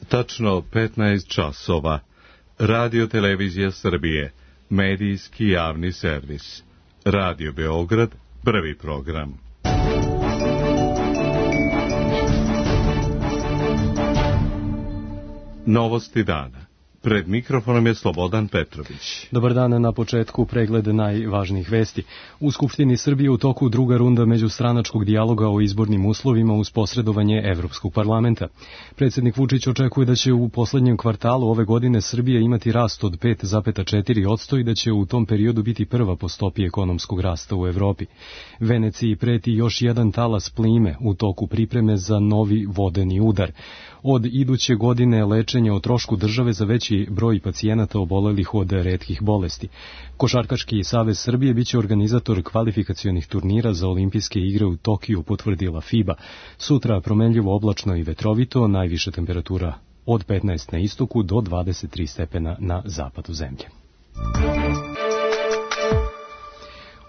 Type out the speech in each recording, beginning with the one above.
Tačno 15 časova. Radio Televizija Srbije, medijski javni servis. Radio Beograd, prvi program. Novosti dana. Pred mikrofonom je Slobodan Petrović. Dobar dan, na početku pregled najvažnijih vesti. U Skupštini Srbije u toku druga runda međustranačkog dijaloga o izbornim uslovima uz posredovanje Evropskog parlamenta. Predsjednik Vučić očekuje da će u poslednjem kvartalu ove godine Srbija imati rast od 5,4% i da će u tom periodu biti prva po stopi ekonomskog rasta u Evropi. Veneciji preti još jedan talas plime u toku pripreme za novi vodeni udar. Od iduće godine lečenje o trošku države za veći broj pacijenata obolelih od retkih bolesti. Košarkaški savez Srbije biće organizator kvalifikacionih turnira za olimpijske igre u Tokiju, potvrdila FIBA. Sutra promenljivo oblačno i vetrovito, najviša temperatura od 15 na istoku do 23 stepena na zapadu zemlje.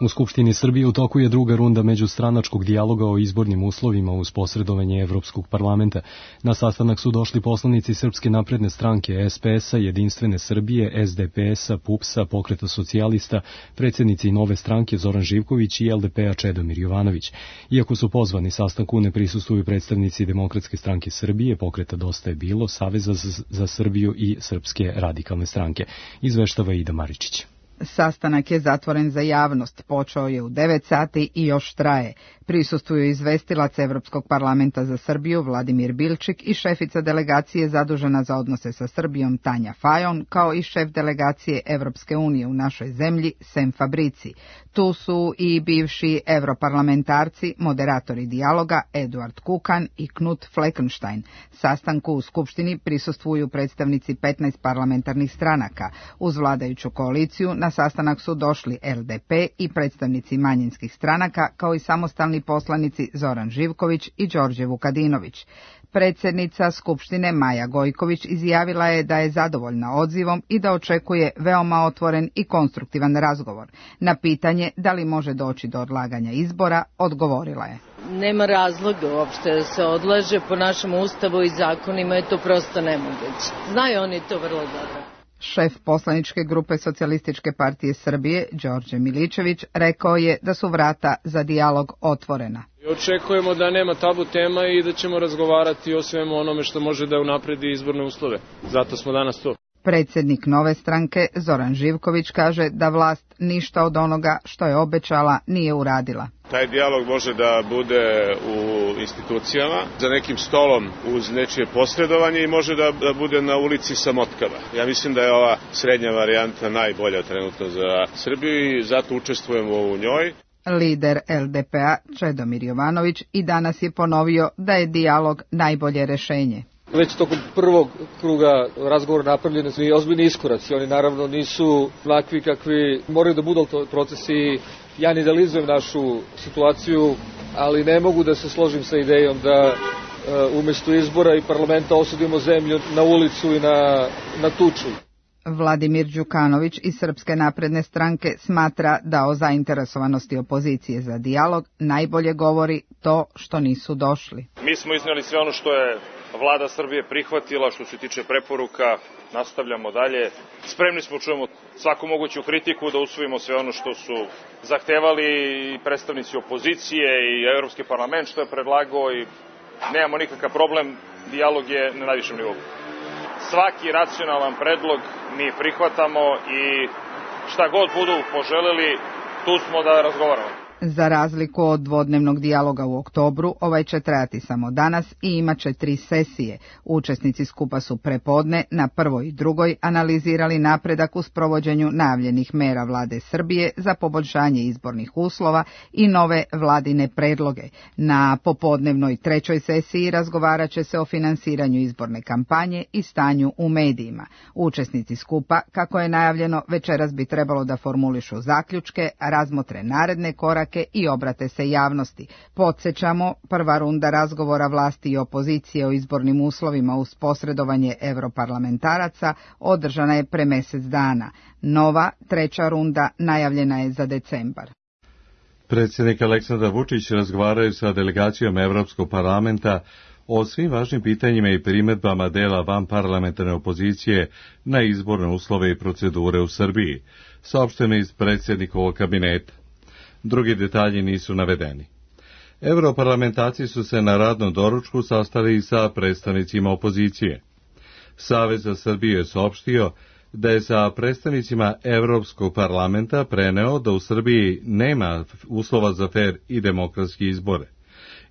U Skupštini Srbije u toku je druga runda međustranačkog dijaloga o izbornim uslovima uz posredovanje Evropskog parlamenta. Na sastanak su došli poslanici Srpske napredne stranke, SPS-a, Jedinstvene Srbije, SDP-a, PUPS-a, Pokreta socijalista, predsjednici Nove stranke Zoran Živković i LDP-a Čedomir Jovanović. Iako su pozvani sastanku, ne prisustvuju predstavnici Demokratske stranke Srbije, Pokreta Dosta je bilo, Saveza za Srbiju i Srpske radikalne stranke. Izveštava Ida Maričić. Sastanak je zatvoren za javnost, počeo je u 9 sati i još traje. Prisustvuju izvestilac Evropskog parlamenta za Srbiju Vladimir Bilčik i šefica delegacije zadužena za odnose sa Srbijom Tanja Fajon, kao i šef delegacije Evropske unije u našoj zemlji Sem Fabrici. Tu su i bivši europarlamentarci, moderatori dijaloga Eduard Kukan i Knut Fleckenstein. Sastanku u Skupštini prisustvuju predstavnici 15 parlamentarnih stranaka. Uz vladajuću koaliciju na sastanak su došli LDP i predstavnici manjinskih stranaka, kao i samostalni poslanici Zoran Živković i Đorđe Vukadinović. Predsjednica Skupštine Maja Gojković izjavila je da je zadovoljna odzivom i da očekuje veoma otvoren i konstruktivan razgovor. Na pitanje da li može doći do odlaganja izbora, odgovorila je: Nema razloga uopšte da se odlaže, po našem ustavu i zakonima je to prosto nemoguće. Znaju oni to vrlo dobro. Šef poslaničke grupe Socijalističke partije Srbije, Đorđe Miličević, rekao je da su vrata za dijalog otvorena. Očekujemo da nema tabu tema i da ćemo razgovarati o svemu onome što može da unapredi izborne uslove. Zato smo danas tu. Predsjednik Nove stranke, Zoran Živković, kaže da vlast ništa od onoga što je obećala nije uradila. Taj dijalog može da bude u institucijama, za nekim stolom uz nečije posredovanje i može da bude na ulici sa motkama. Ja mislim da je ova srednja varijanta najbolja trenutno za Srbiju i zato učestvujemo u njoj. Lider LDP-a Čedomir Jovanović i danas je ponovio da je dijalog najbolje rešenje. Već tokom prvog kruga razgovora napravljeni su i ozbiljni iskoraci. Oni naravno nisu onakvi kakvi moraju da budu procesi. Ja ne idealizujem našu situaciju, ali ne mogu da se složim sa idejom da umjesto izbora i parlamenta osudimo zemlju na ulicu i na tuču. Vladimir Đukanović iz Srpske napredne stranke smatra da o zainteresovanosti opozicije za dijalog najbolje govori to što nisu došli. Mi smo iznijeli sve ono što je Vlada Srbije prihvatila, što se tiče preporuka, nastavljamo dalje. Spremni smo čujemo svaku moguću kritiku, da usvojimo sve ono što su zahtevali i predstavnici opozicije i Evropski parlament što je predlagao i nemamo nikakav problem, dijalog je na najvišem nivou. Svaki racionalan predlog mi prihvatamo i šta god budu poželeli, tu smo da razgovaramo. Za razliku od dvodnevnog dijaloga u oktobru, ovaj će trajati samo danas i imaće 3 sesije. Učesnici skupa su prepodne na prvoj i drugoj analizirali napredak u sprovođenju najavljenih mera vlade Srbije za poboljšanje izbornih uslova i nove vladine predloge. Na popodnevnoj 3. sesiji razgovarat će se o finansiranju izborne kampanje i stanju u medijima. Učesnici skupa, kako je najavljeno, večeras bi trebalo da formulišu zaključke, razmotre naredne korake i obrate se javnosti. Podsjećamo, prva runda razgovora vlasti i opozicije o izbornim uslovima uz posredovanje europarlamentaraca održana je pre mjesec dana. Nova, 3. runda najavljena je za decembar. Predsjednik Aleksandar Vučić razgovaraju sa delegacijom Evropskog parlamenta o svim važnim pitanjima i primjedbama dela vanparlamentarne opozicije na izborne uslove i procedure u Srbiji, saopšteno iz predsjednikovog kabineta. Drugi detalji nisu navedeni. Europarlamentarci su se na radnom doručku sastali i sa predstavnicima opozicije. Savez za Srbiju je saopštio da je sa predstavnicima Evropskog parlamenta preneo da u Srbiji nema uslova za fer i demokratski izbore.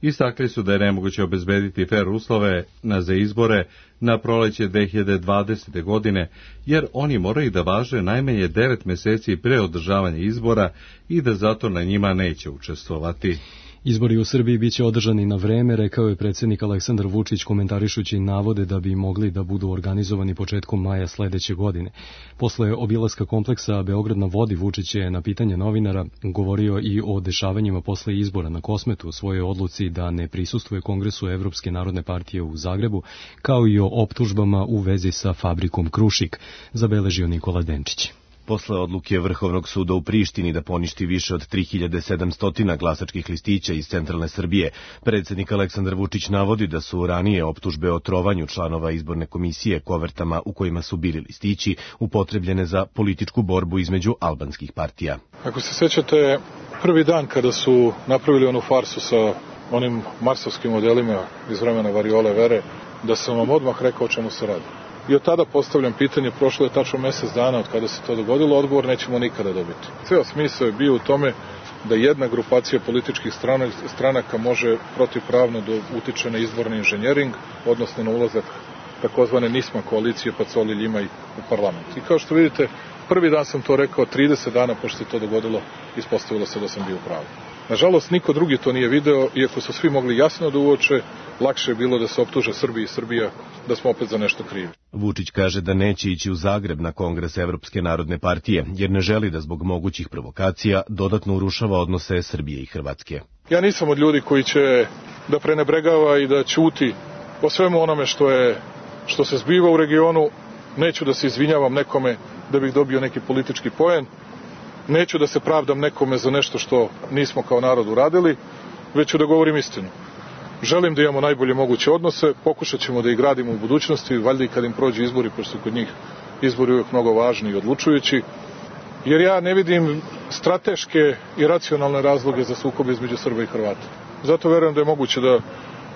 Istakli su da je nemoguće obezbediti fer uslove za izbore na proleće 2020. godine, jer oni moraju da važe najmanje 9 meseci pre održavanja izbora i da zato na njima neće učestvovati. Izbori u Srbiji biće održani na vreme, rekao je predsjednik Aleksandar Vučić komentarišući navode da bi mogli da budu organizovani početkom maja sledeće godine. Posle obilaska kompleksa Beograd na vodi, Vučić je na pitanje novinara govorio i o dešavanjima posle izbora na Kosmetu, o svojoj odluci da ne prisustvuje Kongresu Evropske narodne partije u Zagrebu, kao i o optužbama u vezi sa fabrikom Krušik, zabeležio Nikola Denčić. Posle odluke Vrhovnog suda u Prištini da poništi više od 3700 glasačkih listića iz centralne Srbije, predsjednik Aleksandar Vučić navodi da su ranije optužbe o trovanju članova izborne komisije kovertama u kojima su bili listići upotrebljene za političku borbu između albanskih partija. Ako se sećate, prvi dan kada su napravili onu farsu sa onim marsovskim modelima iz vremena variole vere, da sam vam odmah rekao o čemu se radi. I od tada postavljam pitanje, prošlo je tačno mesec dana od kada se to dogodilo, odgovor nećemo nikada dobiti. Ceo smisao je bio u tome da jedna grupacija političkih stranaka može protivpravno da utiče na izborni inženjering, odnosno na ulazak takozvane NISMA koalicije Pacoli Ljimaj u parlament. I kao što vidite, prvi dan sam to rekao, 30 dana pošto se to dogodilo, ispostavilo se da sam bio u pravu. Nažalost, niko drugi to nije video, iako su svi mogli jasno da uoče, lakše je bilo da se optuže Srbija i Srbija da smo opet za nešto krivi. Vučić kaže da neće ići u Zagreb na Kongres Evropske narodne partije, jer ne želi da zbog mogućih provokacija dodatno urušava odnose Srbije i Hrvatske. Ja nisam od ljudi koji će da prenebregava i da ćuti o svemu onome što se zbiva u regionu. Neću da se izvinjavam nekome da bih dobio neki politički poen. Neću da se pravdam nekome za nešto što nismo kao narod uradili, već ću da govorim istinu. Želim da imamo najbolje moguće odnose, pokušat ćemo da ih gradimo u budućnosti, valjda i kad im prođe izbori, pošto su kod njih izbori uvijek mnogo važni i odlučujući, jer ja ne vidim strateške i racionalne razloge za sukob između Srba i Hrvata. Zato verujem da je moguće da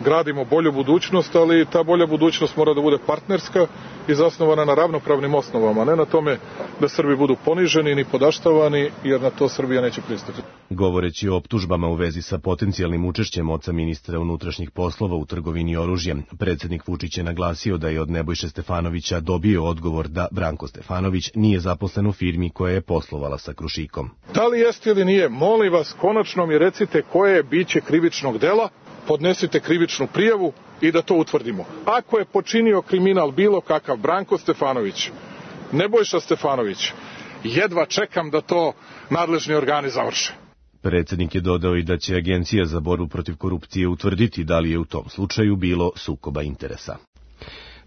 gradimo bolju budućnost, ali ta bolja budućnost mora da bude partnerska i zasnovana na ravnopravnim osnovama, a ne na tome da Srbi budu poniženi ni podaštavani, jer na to Srbija neće pristati. Govoreći o optužbama u vezi sa potencijalnim učešćem oca ministra unutrašnjih poslova u trgovini oružjem, predsjednik Vučić je naglasio da je od Nebojše Stefanovića dobio odgovor da Branko Stefanović nije zaposlen u firmi koja je poslovala sa Krušikom. Da li jeste ili nije, molim vas, konačno mi recite koje je biće krivičnog dela, podnesite krivičnu prijavu i da to utvrdimo. Ako je počinio kriminal bilo kakav Branko Stefanović, Nebojša Stefanović, jedva čekam da to nadležni organi završe. Predsjednik je dodao i da će Agencija za borbu protiv korupcije utvrditi da li je u tom slučaju bilo sukoba interesa.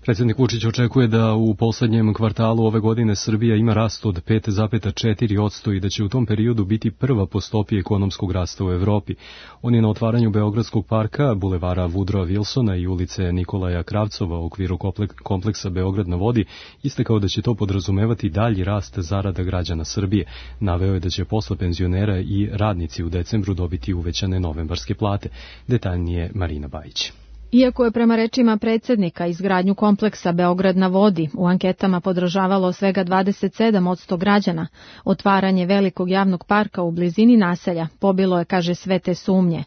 Predsjednik Vučić očekuje da u poslednjem kvartalu ove godine Srbija ima rast od 5,4% i da će u tom periodu biti prva po stopi ekonomskog rasta u Evropi. On je na otvaranju Beogradskog parka, bulevara Woodrowa Wilsona i ulice Nikolaja Kravcova u okviru kompleksa Beograd na vodi istakao da će to podrazumevati dalji rast zarada građana Srbije. Naveo je da će posle penzionera i radnici u decembru dobiti uvećane novembarske plate. Detaljnije Marina Bajić. Iako je prema rečima predsjednika izgradnju kompleksa Beograd na vodi u anketama podržavalo svega 27% građana, otvaranje velikog javnog parka u blizini naselja pobilo je, kaže, sve te sumnje.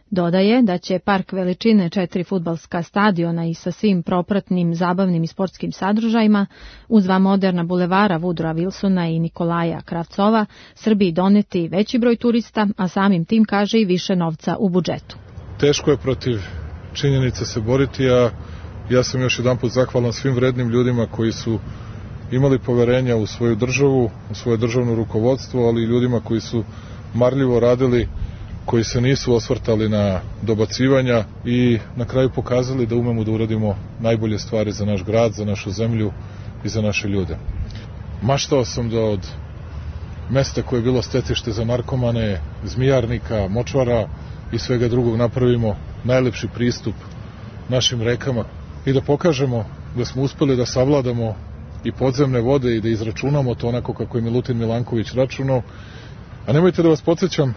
Dodaje da će park veličine 4 fudbalska stadiona i sa svim propratnim zabavnim i sportskim sadržajima, uz 2 moderna bulevara Woodrowa Wilsona i Nikolaja Kravcova, Srbiji doneti veći broj turista, a samim tim, kaže, i više novca u budžetu. Teško je protiv činjenica se boriti, a ja sam još jedanput zahvalan svim vrednim ljudima koji su imali poverenja u svoju državu, u svoje državno rukovodstvo, ali i ljudima koji su marljivo radili, koji se nisu osvrtali na dobacivanja i na kraju pokazali da umemo da uradimo najbolje stvari za naš grad, za našu zemlju i za naše ljude. Maštao sam da od mesta koje je bilo stecište za narkomane, zmijarnika, močvara i svega drugog napravimo najlepši pristup našim rekama i da pokažemo da smo uspeli da savladamo i podzemne vode i da izračunamo to onako kako je Milutin Milanković računao. A nemojte da vas podsjećam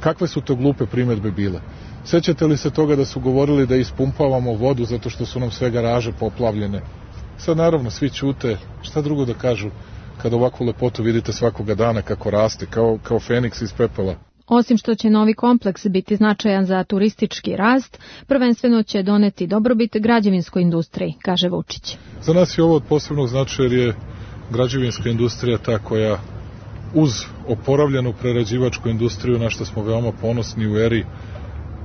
kakve su to glupe primedbe bile. Sećate li se toga da su govorili da ispumpavamo vodu zato što su nam sve garaže poplavljene? Sad naravno svi ćute, šta drugo da kažu kada ovakvu lepotu vidite svakoga dana kako raste, kao feniks iz pepela. Osim što će novi kompleks biti značajan za turistički rast, prvenstveno će doneti dobrobit građevinskoj industriji, kaže Vučić. Za nas je ovo od posebnog značaja jer je građevinska industrija ta koja uz oporavljenu prerađivačku industriju, na što smo veoma ponosni u eri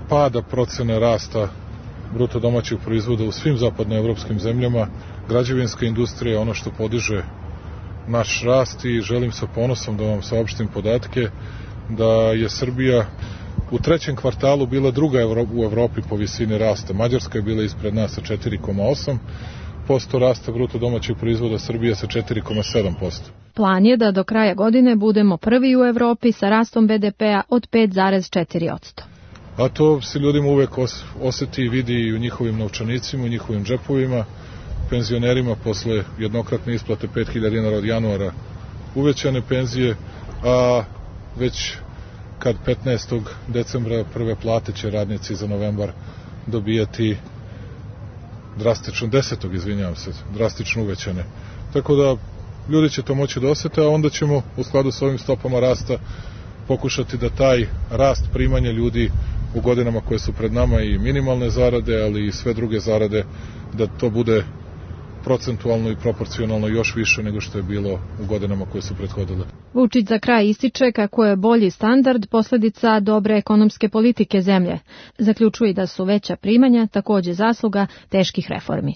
pada procene rasta bruto domaćeg proizvoda u svim zapadnoevropskim zemljama, građevinska industrija je ono što podiže naš rast i želim sa ponosom da vam saopštim podatke da je Srbija u trećem kvartalu bila druga u Evropi po visini rasta. Mađarska je bila ispred nas sa 4,8% rasta bruto domaćeg proizvoda, Srbija sa 4,7%. Plan je da do kraja godine budemo prvi u Evropi sa rastom BDP-a od 5,4%. A to se ljudima uvek oseti i vidi i u njihovim novčanicima, u njihovim džepovima, penzionerima posle jednokratne isplate 5.000 dinara od januara uvećane penzije, a već kad 15. decembra prve plate će radnici za novembar dobijati drastično uvećane. Tako da ljudi će to moći da osete, a onda ćemo u skladu s ovim stopama rasta pokušati da taj rast primanja ljudi u godinama koje su pred nama i minimalne zarade, ali i sve druge zarade, da to bude procentualno i proporcionalno još više nego što je bilo u godinama koje su prethodile. Vučić za kraj ističe kako je bolji standard posledica dobre ekonomske politike zemlje. Zaključuje da su veća primanja takođe zasluga teških reformi.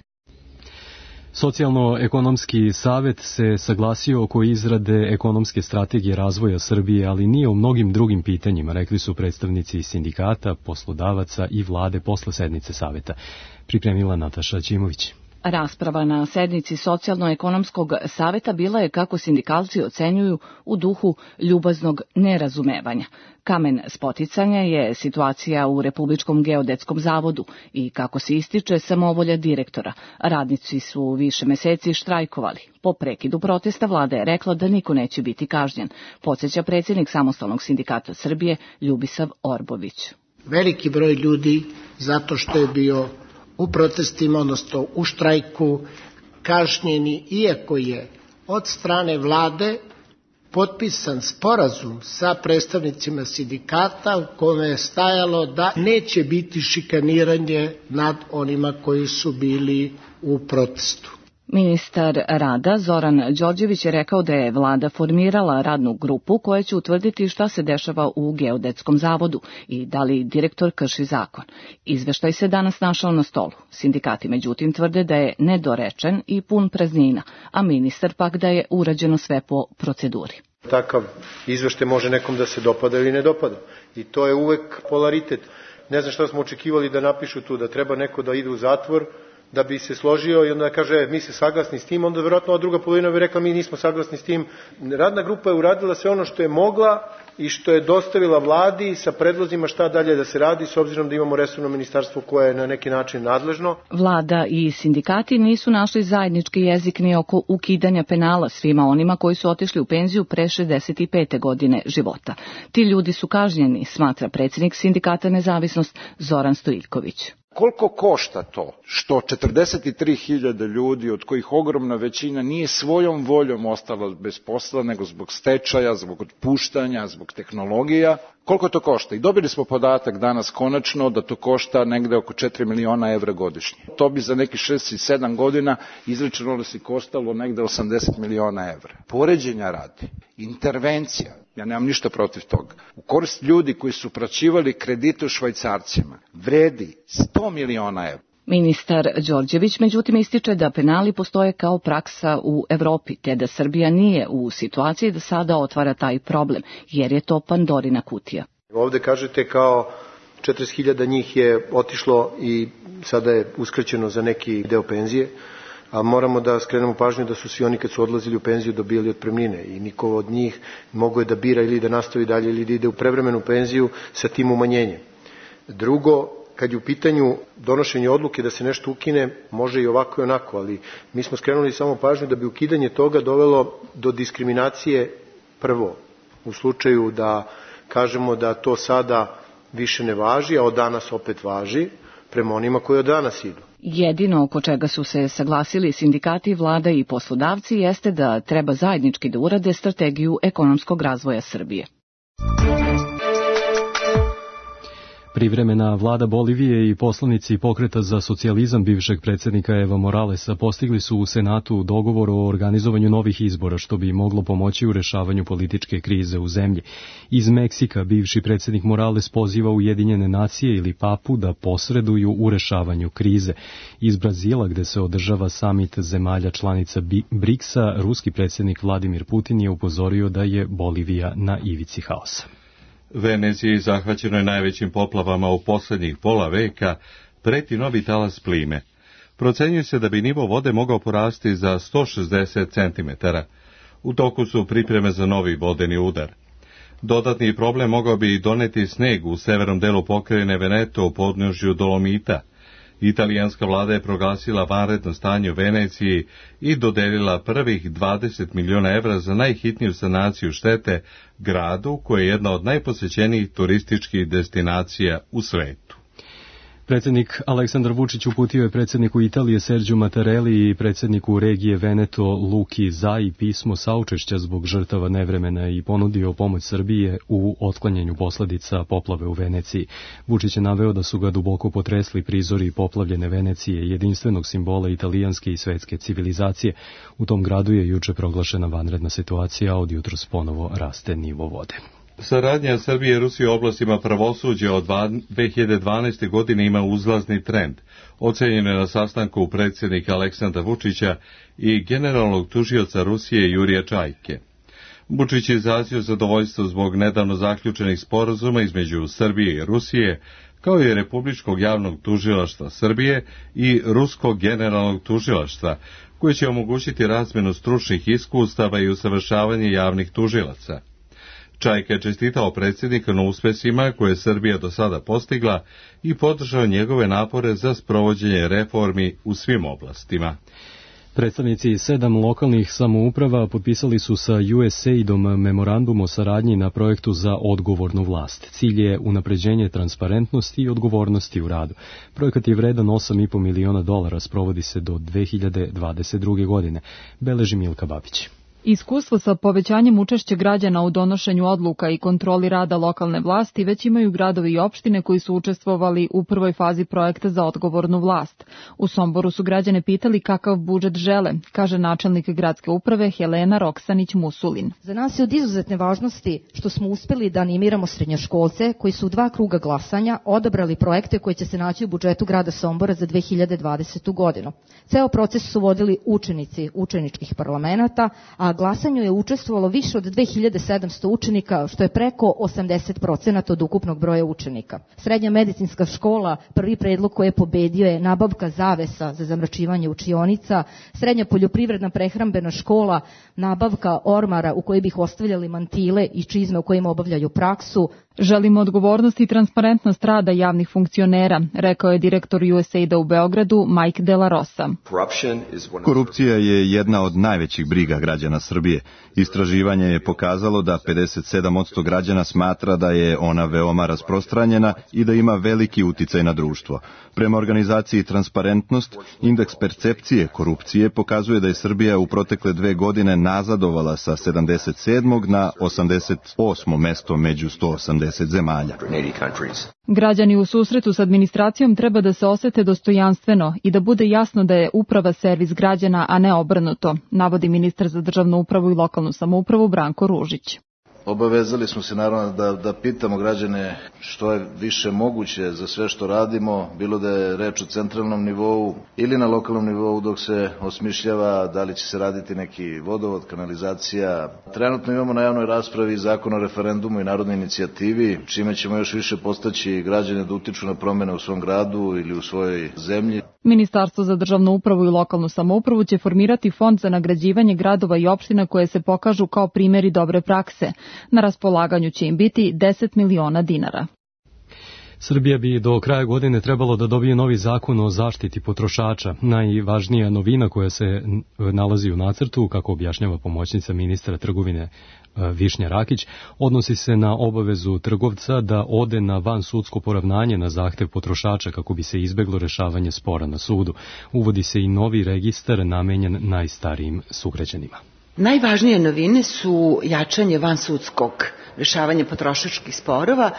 Socijalno-ekonomski savet se saglasio oko izrade ekonomske strategije razvoja Srbije, ali nije u mnogim drugim pitanjima, rekli su predstavnici sindikata, poslodavaca i vlade posle sednice saveta. Pripremila Nataša Ćimović. Rasprava na sednici Socijalno-ekonomskog saveta bila je, kako sindikalci ocenjuju, u duhu ljubaznog nerazumevanja. Kamen spoticanja je situacija u Republičkom geodetskom zavodu i, kako se ističe, samovolja direktora. Radnici su više meseci štrajkovali. Po prekidu protesta vlada je rekla da niko neće biti kažnjen, podsjeća predsjednik Samostalnog sindikata Srbije Ljubisav Orbović. Veliki broj ljudi, zato što je bio u protestima, odnosno u štrajku, kažnjeni, iako je od strane vlade potpisan sporazum sa predstavnicima sindikata u kome je stajalo da neće biti šikaniranje nad onima koji su bili u protestu. Ministar rada Zoran Đorđević je rekao da je vlada formirala radnu grupu koja će utvrditi šta se dešava u geodetskom zavodu i da li direktor krši zakon. Izveštaj se danas našao na stolu. Sindikati međutim tvrde da je nedorečen i pun praznina, a ministar pak da je urađeno sve po proceduri. Takav izveštaj može nekom da se dopada ili ne dopada i to je uvek polaritet. Ne znam šta smo očekivali da napišu tu, da treba neko da ide u zatvor da bi se složio i onda kaže mi se saglasni s tim, onda verovatno druga polovina bi rekla mi nismo saglasni s tim. Radna grupa je uradila sve ono što je mogla i što je dostavila vladi sa predlozima šta dalje da se radi, s obzirom da imamo resorno ministarstvo koje je na neki način nadležno. Vlada i sindikati nisu našli zajednički jezik ni oko ukidanja penala svima onima koji su otišli u penziju pre 65. godine života. Ti ljudi su kažnjeni, smatra predsjednik sindikata Nezavisnost Zoran Stojiljković. Koliko košta to što 43.000 ljudi, od kojih ogromna većina nije svojom voljom ostala bez posla, nego zbog stečaja, zbog otpuštanja, zbog tehnologija, koliko to košta? I dobili smo podatak danas konačno da to košta negde oko 4 miliona evra godišnje. To bi za neki 6 i 7 godina izračunalo da se koštalo negde 80 miliona evra. Poređenja radi, intervencija, ja nemam ništa protiv toga, u korist ljudi koji su uplaćivali kredite u švajcarcima, vredi 100 miliona evra. Ministar Đorđević međutim ističe da penali postoje kao praksa u Evropi, te da Srbija nije u situaciji da sada otvara taj problem, jer je to Pandorina kutija. Ovde kažete kao 40.000 njih je otišlo i sada je uskraćeno za neki deo penzije, a moramo da skrenemo pažnju da su svi oni kad su odlazili u penziju dobijali otpremnine i niko od njih mogao je da bira ili da nastavi dalje ili da ide u prevremenu penziju sa tim umanjenjem. Drugo, kad je u pitanju donošenje odluke da se nešto ukine, može i ovako i onako, ali mi smo skrenuli samo pažnju da bi ukidanje toga dovelo do diskriminacije prvo, u slučaju da kažemo da to sada više ne važi, a od danas opet važi, prema onima koji od danas idu. Jedino oko čega su se saglasili sindikati, vlada i poslodavci jeste da treba zajednički da urade strategiju ekonomskog razvoja Srbije. Privremena vlada Bolivije i poslanici Pokreta za socijalizam bivšeg predsjednika Evo Moralesa postigli su u Senatu dogovor o organizovanju novih izbora, što bi moglo pomoći u rešavanju političke krize u zemlji. Iz Meksika bivši predsjednik Morales poziva Ujedinjene nacije ili papu da posreduju u rešavanju krize. Iz Brazila, gde se održava samit zemalja članica BRICS-a, ruski predsjednik Vladimir Putin je upozorio da je Bolivija na ivici haosa. Veneciji zahvaćenoj najvećim poplavama u posljednjih pola veka preti novi talas plime. Procenjuje se da bi nivo vode mogao porasti za 160 cm. U toku su pripreme za novi vodeni udar. Dodatni problem mogao bi doneti sneg u severnom delu pokrajine Veneto u podnožju Dolomita. Italijanska vlada je proglasila vanredno stanje u Veneciji i dodelila prvih 20 miliona evra za najhitniju sanaciju štete gradu, koja je jedna od najposećenijih turističkih destinacija u svetu. Predsjednik Aleksandar Vučić uputio je predsjedniku Italije Sergiju Mattarelli i predsjedniku regije Veneto Luki Zai pismo saučešća zbog žrtava nevremena i ponudio pomoć Srbije u otklanjanju posljedica poplave u Veneciji. Vučić je naveo da su ga duboko potresli prizori poplavljene Venecije, jedinstvenog simbola italijanske i svetske civilizacije. U tom gradu je juče proglašena vanredna situacija, a od jutros ponovo raste nivo vode. Saradnja Srbije i Rusije u oblastima pravosuđa od 2012. godine ima uzlazni trend. Ocenjeno je na sastanku predsjednika Aleksandra Vučića i generalnog tužioca Rusije Jurija Čajke. Vučić je izrazio zadovoljstvo zbog nedavno zaključenih sporazuma između Srbije i Rusije, kao i Republičkog javnog tužilaštva Srbije i Ruskog generalnog tužilaštva, koje će omogućiti razmjenu stručnih iskustava i usavršavanje javnih tužilaca. Čajka je čestitao predsjednika na uspesima koje je Srbija do sada postigla i podržao njegove napore za sprovođenje reformi u svim oblastima. Predstavnici 7 lokalnih samouprava potpisali su sa USAID-om memorandum o saradnji na projektu za odgovornu vlast. Cilj je unapređenje transparentnosti i odgovornosti u radu. Projekat je vredan $8,5 miliona, sprovodi se do 2022. godine, beleži Milka Babić. Iskustvo sa povećanjem učešća građana u donošenju odluka i kontroli rada lokalne vlasti već imaju gradovi i opštine koji su učestvovali u prvoj fazi projekta za odgovornu vlast. U Somboru su građane pitali kakav budžet žele, kaže načelnik gradske uprave Helena Roksanić-Musulin. Za nas je od izuzetne važnosti što smo uspeli da animiramo srednjoškolce koji su u 2 kruga glasanja odabrali projekte koji će se naći u budžetu grada Sombora za 2020. godinu. Ceo proces su vodili učenici učeničkih parlamenata, a glasanju je učestvovalo više od 2700 učenika, što je preko 80% od ukupnog broja učenika. Srednja medicinska škola, prvi predlog koji je pobedio je nabavka zavesa za zamračivanje učionica, srednja poljoprivredna prehrambena škola, nabavka ormara u koji bi ostavljali mantile i čizme u kojima obavljaju praksu. Želimo odgovornost i transparentnost rada javnih funkcionera, rekao je direktor USAID-a u Beogradu Mike De La Rosa. Korupcija je jedna od najvećih briga građana Srbije. Istraživanje je pokazalo da 57% građana smatra da je ona veoma rasprostranjena i da ima veliki uticaj na društvo. Prema organizaciji Transparentnost, indeks percepcije korupcije pokazuje da je Srbija u protekle 2 godine nazadovala sa 77. na 88. mesto među 180 zemalja. Građani u susretu s administracijom treba da se osete dostojanstveno i da bude jasno da je uprava servis građana, a ne obrnuto, navodi ministar za državnu upravu i lokalnu samoupravu Branko Ružić. Obavezali smo se naravno da pitamo građane što je više moguće za sve što radimo, bilo da je reč o centralnom nivou ili na lokalnom nivou dok se osmišljava da li će se raditi neki vodovod, kanalizacija. Trenutno imamo na javnoj raspravi Zakon o referendumu i narodnoj inicijativi, čime ćemo još više postaći građane da utiču na promene u svom gradu ili u svojoj zemlji. Ministarstvo za državnu upravu i lokalnu samoupravu će formirati fond za nagrađivanje gradova i opština koje se pokažu kao primjeri dobre prakse. Na raspolaganju će im biti 10 miliona dinara. Srbija bi do kraja godine trebalo da dobije novi zakon o zaštiti potrošača. Najvažnija novina koja se nalazi u nacrtu, kako objašnjava pomoćnica ministra trgovine Višnja Rakić, odnosi se na obavezu trgovca da ode na vansudsko poravnanje na zahtev potrošača kako bi se izbeglo rešavanje spora na sudu. Uvodi se i novi registar namenjen najstarijim sugrađanima. Najvažnije novine su jačanje vansudskog rešavanja potrošačkih sporova,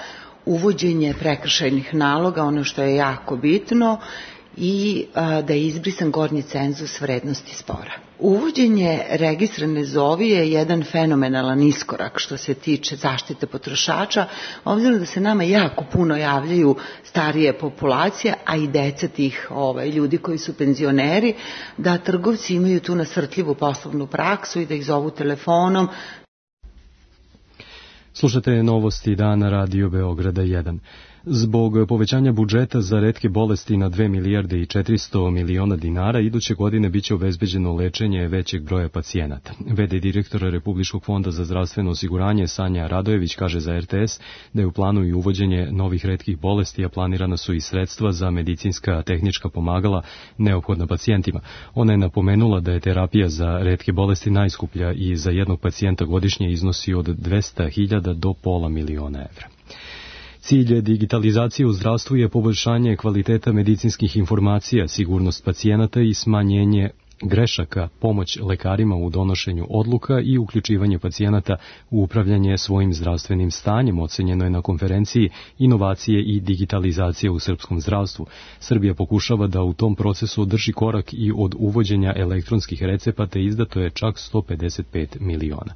uvođenje prekršajnih naloga, ono što je jako bitno, i da je izbrisan gornji cenzus vrednosti spora. Uvođenje registra Ne zovi je jedan fenomenalan iskorak što se tiče zaštite potrošača, obzirom da se nama jako puno javljaju starije populacije, a i deca tih ljudi koji su penzioneri, da trgovci imaju tu nasrtljivu poslovnu praksu i da ih zovu telefonom. Slušate novosti dana Radio Beograda 1. Zbog povećanja budžeta za retke bolesti na 2 milijarde i 400 miliona dinara, iduće godine biće obezbeđeno lečenje većeg broja pacijenata. V.d. direktora Republičkog fonda za zdravstveno osiguranje Sanja Radojević kaže za RTS da je u planu i uvođenje novih retkih bolesti, a planirana su i sredstva za medicinska tehnička pomagala neophodna pacijentima. Ona je napomenula da je terapija za retke bolesti najskuplja i za jednog pacijenta godišnje iznosi od 200.000 do pola miliona evra. Cilj digitalizacije u zdravstvu je poboljšanje kvaliteta medicinskih informacija, sigurnost pacijenata i smanjenje grešaka, pomoć lekarima u donošenju odluka i uključivanje pacijenata u upravljanje svojim zdravstvenim stanjem, ocenjeno je na konferenciji Inovacije i digitalizacije u srpskom zdravstvu. Srbija pokušava da u tom procesu održi korak i od uvođenja elektronskih recepata, izdato je čak 155 miliona.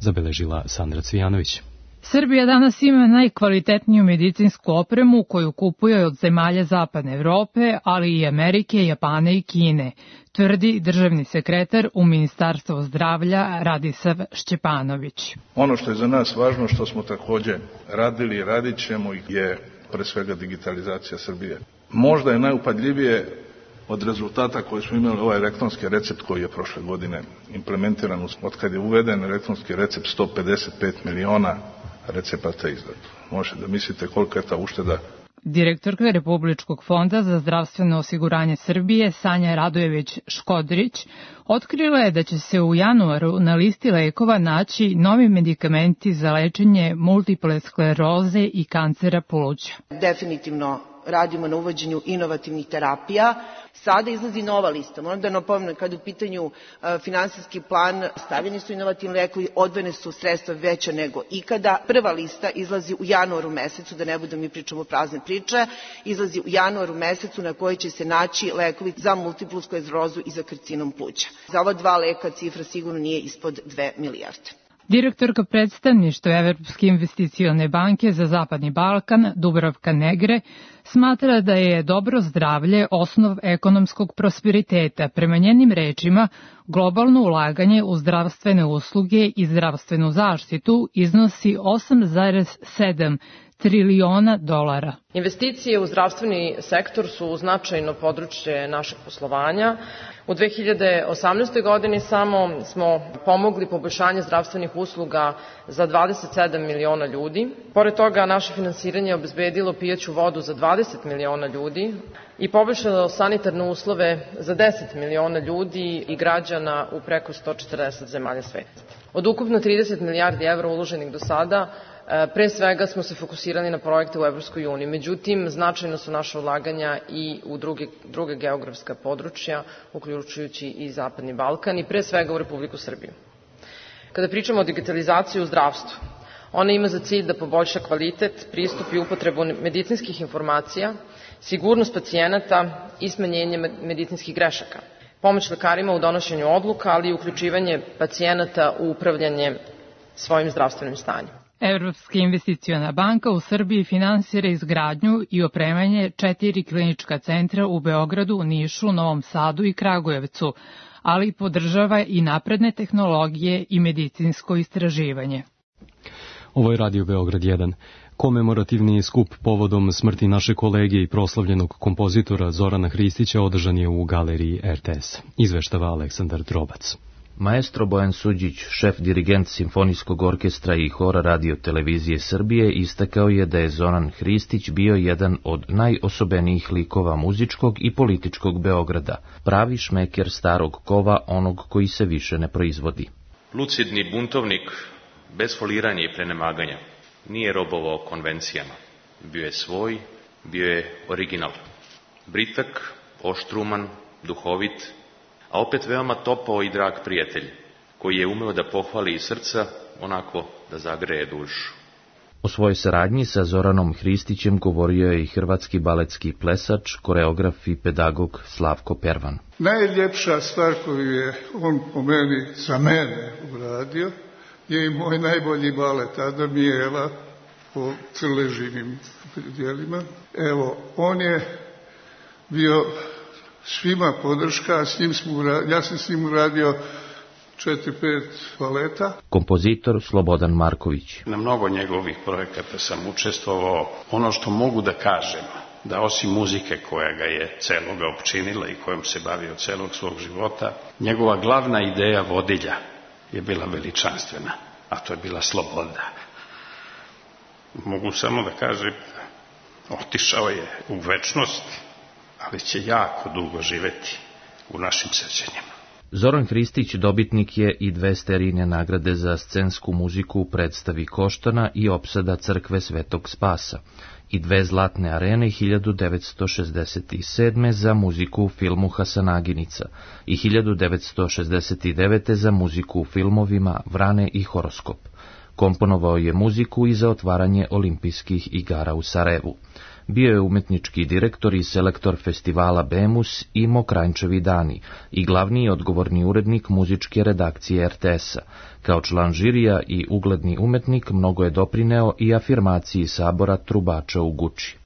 Zabeležila Sandra Cvijanović. Srbija danas ima najkvalitetniju medicinsku opremu koju kupuje od zemalja Zapadne Evrope, ali i Amerike, Japana i Kine, tvrdi državni sekretar u Ministarstvu zdravlja Radisav Šćepanović. Ono što je za nas važno, što smo takođe radili i radit ćemo, je pre svega digitalizacija Srbije. Možda je najupadljivije od rezultata koje smo imali ovaj elektronski recept koji je prošle godine implementiran. Od kad je uveden elektronski recept, 155 miliona recepata izdato. Možete da mislite koliko je ta ušteda. Direktorka Republičkog fonda za zdravstveno osiguranje Srbije Sanja Radojević-Škodrić otkrila je da će se u januaru na listi lekova naći novi medikamenti za lečenje multiple skleroze i kancera pluća. Definitivno radimo na uvođenju inovativnih terapija. Sada izlazi nova lista. Moram da napomenem, kada u pitanju finansijski plan, stavljeni su inovativni lekovi, odvojene su sredstva veća nego ikada. Prva lista izlazi u januaru mesecu, da ne budem mi pričamo prazne priče, izlazi u januaru mesecu na kojoj će se naći lekovi za multiplu sklerozu i za karcinom pluća. Za ova dva leka cifra sigurno nije ispod 2 milijarde. Direktorka predstavništva Evropske investicione banke za Zapadni Balkan, Dubravka Negre, smatra da je dobro zdravlje osnov ekonomskog prosperiteta. Prema njenim rečima, globalno ulaganje u zdravstvene usluge i zdravstvenu zaštitu iznosi 8,7 triliona dolara. Investicije u zdravstveni sektor su značajno područje našeg poslovanja. U 2018. godini samo smo pomogli poboljšanje zdravstvenih usluga za 27 miliona ljudi. Pored toga, naše finansiranje je obezbedilo pijaću vodu za 20 miliona ljudi i poboljšalo sanitarne uslove za 10 miliona ljudi i građana u preko 140 zemalja sveta. Od ukupno 30 milijardi evra uloženih do sada, pre svega smo se fokusirali na projekte u Evropskoj uniji, međutim, značajno su naše ulaganja i u druge geografska područja, uključujući i Zapadni Balkan i pre svega u Republiku Srbiju. Kada pričamo o digitalizaciji u zdravstvu, ona ima za cilj da poboljša kvalitet, pristup i upotrebu medicinskih informacija, sigurnost pacijenata i smanjenje medicinskih grešaka, pomoć lekarima u donošenju odluka, ali i uključivanje pacijenata u upravljanje svojim zdravstvenim stanjem. Evropska investiciona banka u Srbiji finansira izgradnju i opremanje 4 klinička centra u Beogradu, Nišu, Novom Sadu i Kragujevcu, ali podržava i napredne tehnologije i medicinsko istraživanje. Ovo je Radio Beograd 1. Komemorativni skup povodom smrti naše kolege i proslavljenog kompozitora Zorana Hristića održan je u galeriji RTS. Izveštava Aleksandar Drobac. Maestro Bojan Suđić, šef dirigent Simfonijskog orkestra i hora Radio televizije Srbije, istakao je da je Zoran Hristić bio jedan od najosobenijih likova muzičkog i političkog Beograda, pravi šmeker starog kova, onog koji se više ne proizvodi. Lucidni buntovnik, bez foliranja i prenemaganja, nije robovao konvencijama. Bio je svoj, bio je original. Britak, oštruman, duhovit, a opet veoma topao i drag prijatelj, koji je umeo da pohvali iz srca, onako da zagreje dušu. O svojoj saradnji sa Zoranom Hristićem govorio je i hrvatski baletski plesač, koreograf i pedagog Slavko Pervan. Najljepša stvar koju je on po meni, za mene uradio, je i moj najbolji balet Adam i Eva po crleživim dijelima. Evo, on je bio svima podrška, ja sam s njim uradio 4-5 baleta. Kompozitor Slobodan Marković. Na mnogo njegovih projekata sam učestvovao. Ono što mogu da kažem, da osim muzike koja ga je celoga opčinila i kojom se bavio celog svog života, njegova glavna ideja vodilja je bila veličanstvena, a to je bila sloboda. Mogu samo da kažem, otišao je u večnost, ali će jako dugo živeti u našim sećanjima. Zoran Hristić dobitnik je i 2 Sterijine nagrade za scensku muziku u predstavi Koštana i opsada crkve Svetog Spasa i 2 Zlatne arene 1967. za muziku u filmu Hasanaginica i 1969. za muziku u filmovima Vrane i Horoskop. Komponovao je muziku i za otvaranje olimpijskih igara u Sarajevu. Bio je umetnički direktor i selektor festivala Bemus i Mokranjčevi dani i glavni i odgovorni urednik muzičke redakcije RTS-a. Kao član žirija i ugledni umetnik mnogo je doprineo i afirmaciji sabora trubača u Guči.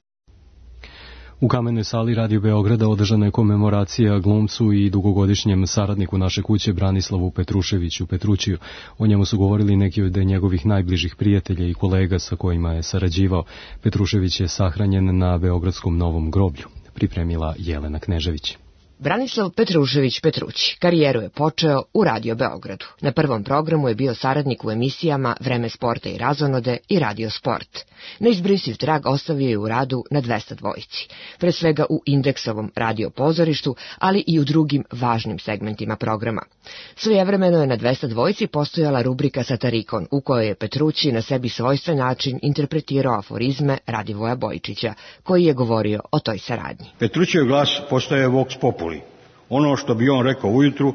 U Kamenoj sali Radio Beograda održana je komemoracija glumcu i dugogodišnjem saradniku naše kuće Branislavu Petruševiću Petrućiju. O njemu su govorili neki od njegovih najbližih prijatelja i kolega sa kojima je sarađivao. Petrušević je sahranjen na Beogradskom Novom groblju, pripremila Jelena Knežević. Branislav Petrušević Petrući karijeru je počeo u Radio Beogradu. Na prvom programu je bio saradnik u emisijama Vreme sporta i razonode i Radio Sport. Neizbrisiv trag ostavio je u radu na 202, pre svega u Indeksovom radio pozorištu, ali i u drugim važnim segmentima programa. Svojevremeno je na 202 postojala rubrika Satarikon, u kojoj je Petrući na sebi svojstven način interpretirao aforizme Radivoja Bojičića, koji je govorio o toj saradnji. Petrućev glas postaje vox populi. Ono što bi on rekao ujutru,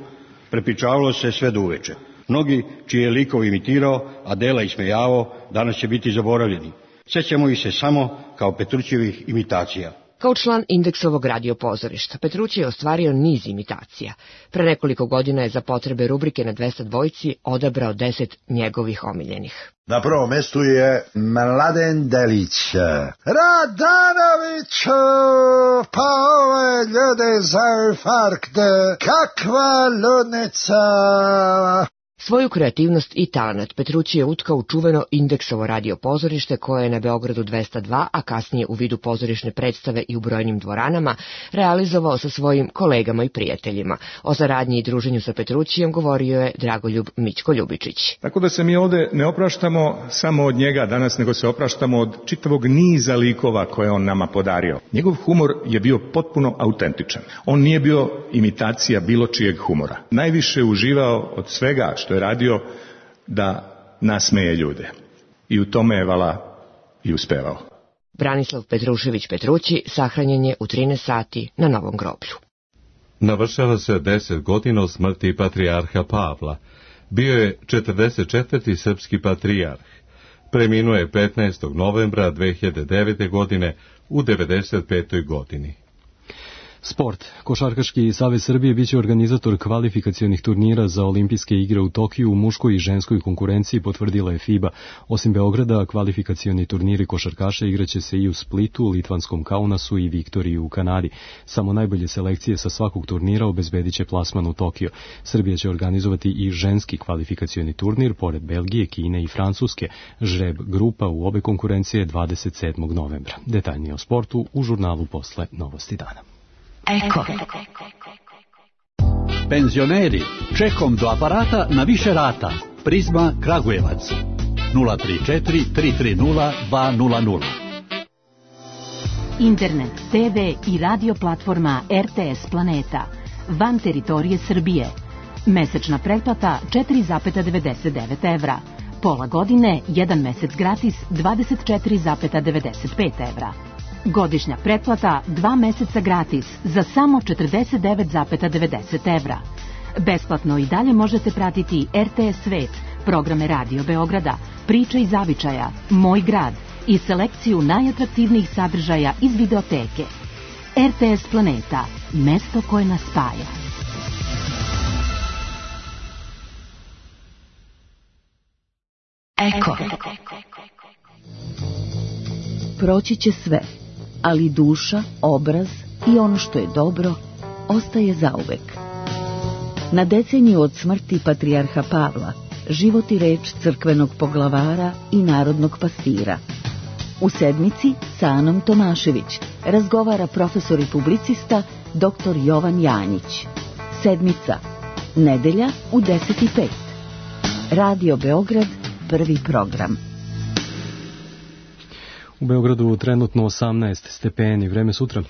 prepričavalo se sve do uveče. Mnogi čiji je likov imitirao, a dela ismejavao, danas će biti zaboravljeni. Sjećamo ih se samo kao Petrućevih imitacija. Kao član Indeksovog radio pozorišta, Petrući je ostvario niz imitacija. Pre nekoliko godina je za potrebe rubrike na 202 odabrao 10 njegovih omiljenih. Na prvom mestu je Mladen Delić. Radanoviću, pa ove ljude za infarkte, kakva ludnica! Svoju kreativnost i talent Petrući je utkao u čuveno Indeksovo radio pozorište koje je na Beogradu 202, a kasnije u vidu pozorišne predstave i u brojnim dvoranama, realizovao sa svojim kolegama i prijateljima. O saradnji i druženju sa Petrućijem govorio je Dragoljub Mićko Ljubičić. Tako da se mi ovde ne opraštamo samo od njega danas, nego se opraštamo od čitavog niza likova koje on nama podario. Njegov humor je bio potpuno autentičan. On nije bio imitacija bilo čijeg humora. Najviše uživao od svega što je radio da nasmeje ljude. I u tome je vala i uspevao. Branislav Petrušević Petrući sahranjen je u 13 sati na Novom groblju. Navršava se 10 godina od smrti patrijarha Pavla. Bio je 44. srpski patrijarh. Preminuo je 15. novembra 2009. godine u 95. godini. Sport. Košarkaški savez Srbije biće organizator kvalifikacionih turnira za olimpijske igre u Tokiju u muškoj i ženskoj konkurenciji, potvrdila je FIBA. Osim Beograda, kvalifikacioni turniri košarkaša igraće se i u Splitu, Litvanskom Kaunasu i Viktoriji u Kanadi. Samo najbolje selekcije sa svakog turnira obezbedit će plasman u Tokio. Srbija će organizovati i ženski kvalifikacioni turnir, pored Belgije, Kine i Francuske. Žreb grupa u obe konkurencije 27. novembra. Detaljnije o sportu u žurnalu Posle novosti dana. Penzioneri, Čekom do aparata na više rata. Prizma Kragujevac 034 330 200. Internet, TV i radio platforma RTS Planeta. Van teritorije Srbije. Mesečna pretplata 4,99 evra. Pola godine, 1 mesec gratis 24,95 evra. Godišnja pretplata 2 meseca gratis za samo 49,90 evra. Besplatno i dalje možete pratiti RTS Svet, programe Radio Beograda, Priče iz zavičaja, Moj grad i selekciju najatraktivnijih sadržaja iz videoteke. RTS Planeta, mesto koje nas spaja. Eko. Proći će sve, ali duša, obraz i ono što je dobro ostaje zauvek. Na deceniju od smrti patrijarha Pavla, život i reč crkvenog poglavara i narodnog pastira. U sedmici sa Anom Tomašević razgovara profesor i publicista dr. Jovan Janjić. Sedmica, nedelja u 10:05. Radio Beograd, prvi program. U Beogradu trenutno 18 stepeni, vreme sutra.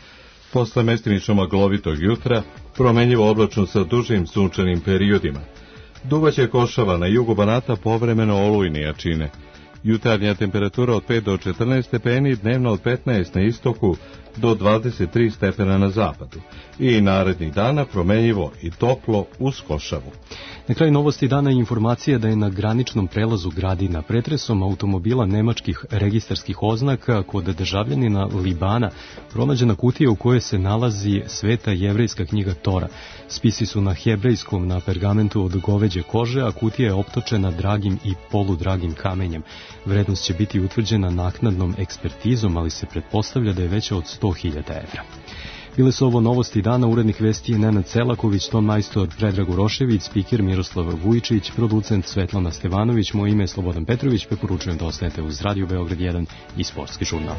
Posle mestimično maglovitog jutra, promenljivo oblačno sa dužim sunčanim periodima. Duvaće košava na jugu Banata povremeno olujne jačine. Jutarnja temperatura od 5 do 14 stepeni, dnevno od 15 na istoku do 23 stepena na zapadu. I narednih dana promenljivo i toplo uz košavu. Na kraju novosti dana je informacija da je na graničnom prelazu Gradina pretresom automobila nemačkih registarskih oznaka kod državljanina Libana pronađena kutija u kojoj se nalazi sveta jevrejska knjiga Tora. Spisi su na hebrejskom na pergamentu od goveđe kože, a kutija je optočena dragim i poludragim kamenjem. Vrednost će biti utvrđena naknadnom ekspertizom, ali se pretpostavlja da je veća od 100.000 evra. Bile su ovo novosti dana, urednik vesti je Nenad Celaković, ton majstor Predrag Urošević, spiker Miroslav Vujičić, producent Svetlana Stevanović, moje ime je Slobodan Petrović, preporučujem da ostanete uz Radio Beograd 1 i Sportski žurnal.